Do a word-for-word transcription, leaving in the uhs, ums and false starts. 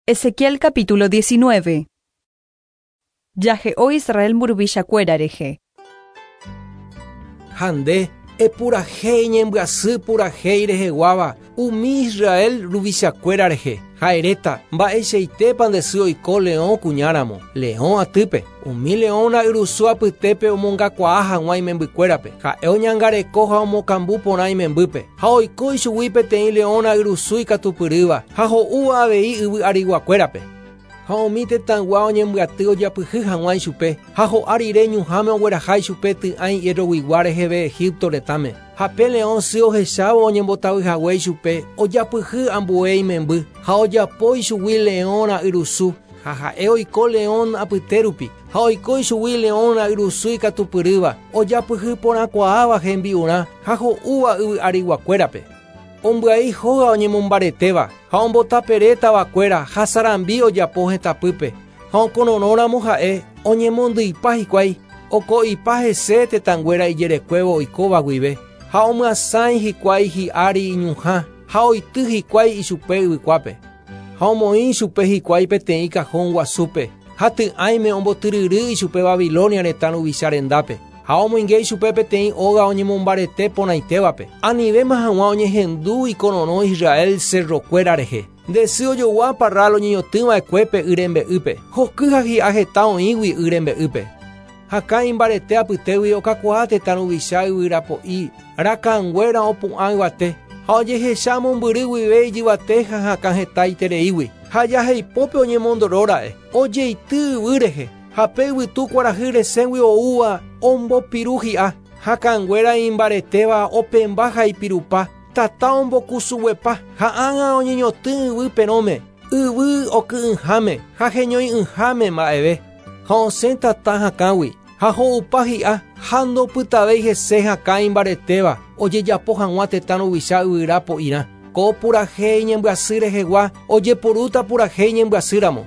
Ezequiel capítulo diecinueve. Jahe'o Israel mburuvichakuéra rehe. Ha nde epurahéi ñembyasy purahéi reheguáva umi Israel ruvichakuéra rehe. Ha eréta mba'eichaitépa nde sy oiko leõ kuñáramo, leõ atýpe. Umi leõ ra'yrusu apytépe omongakuaa hag̃ua imembykuérape. Ha'e oñangareko ha omokambu porã imembýpe. Ha oiko ichugui peteĩ leõ ra'yrusu ikatupyrýva ha ho'úva avei yvy ariguakuérape. Ha umi tetãygua oñembyaty ojapyhy hag̃ua ichupe ha ho'a rire ñuhãme ogueraha ichupe ty'ãi hierroguigua reheve Egipto retãme. Ha pe leõ sy ohechávo oñembotavyhague ichupe ojapyhy ambue imemby ha ojapo ichugui leõ ra'yrusu ha ha'e oiko leõ apytérupi ha oiko ichugui leõ ra'yrusu ikatupyrýva ojapyhy porãkuaáva hembi'urã ha ho'úva yvy ariguakuérape. Ombyai hóga oñemombaretéva ha ombotaperétavakuéra ha sarambi ojapo hetãpýpe ha okororõramo ha'e oñemondýipa hikuái oko'ipa hese tetãnguéra ijerekuévo oikóva guive ha omyasãi hikuái hi'ári iñuhã ha oity hikuái ichupe yvykuápe ha omoĩ ichupe hikuái peteĩ cajón guasúpe ha ty'ãime ombotyryry ichupe Babilonia retã ruvicha rendápe ha omoinge ichupe peteĩ óga oñemombarete porãitévape anivéma hag̃ua oñehendu ikororõ Israel cerrokuéra rehe. Nde sy ojogua parral oñeñotỹva'ekuépe y rembe'ýpe hoky ha hi'a heta oĩgui y rembe'ýpe. Hakã imbarete apytégui okakuaa tetã ruvicha yvyrapo'i rakãnguéra opu'ã yvate ha ojehecha mombyry guive ijyvate ha hakã heta itereígui ha jaheipópe oñemondoróra'e ojeity yvy rehe ha pe yvytu kuarahy resẽgui oúva ombopiru hi'a hakãnguéra imbaretéva opemba ha ipirupa tata ombokusuguepa ha ág̃a oñeñotỹ yvy perõme yvy oky'ỹháme ha heñoi'ỹháme mba'eve ha osẽ tata hakãgui ha ho'upa hi'a ha ndopytavéi hese hakã imbaretéva ojejapo hag̃ua tetã ruvicha yvyra po'irã. Ko purahéi ñembyasy rehegua ojeporúta purahéi ñembyasýramo.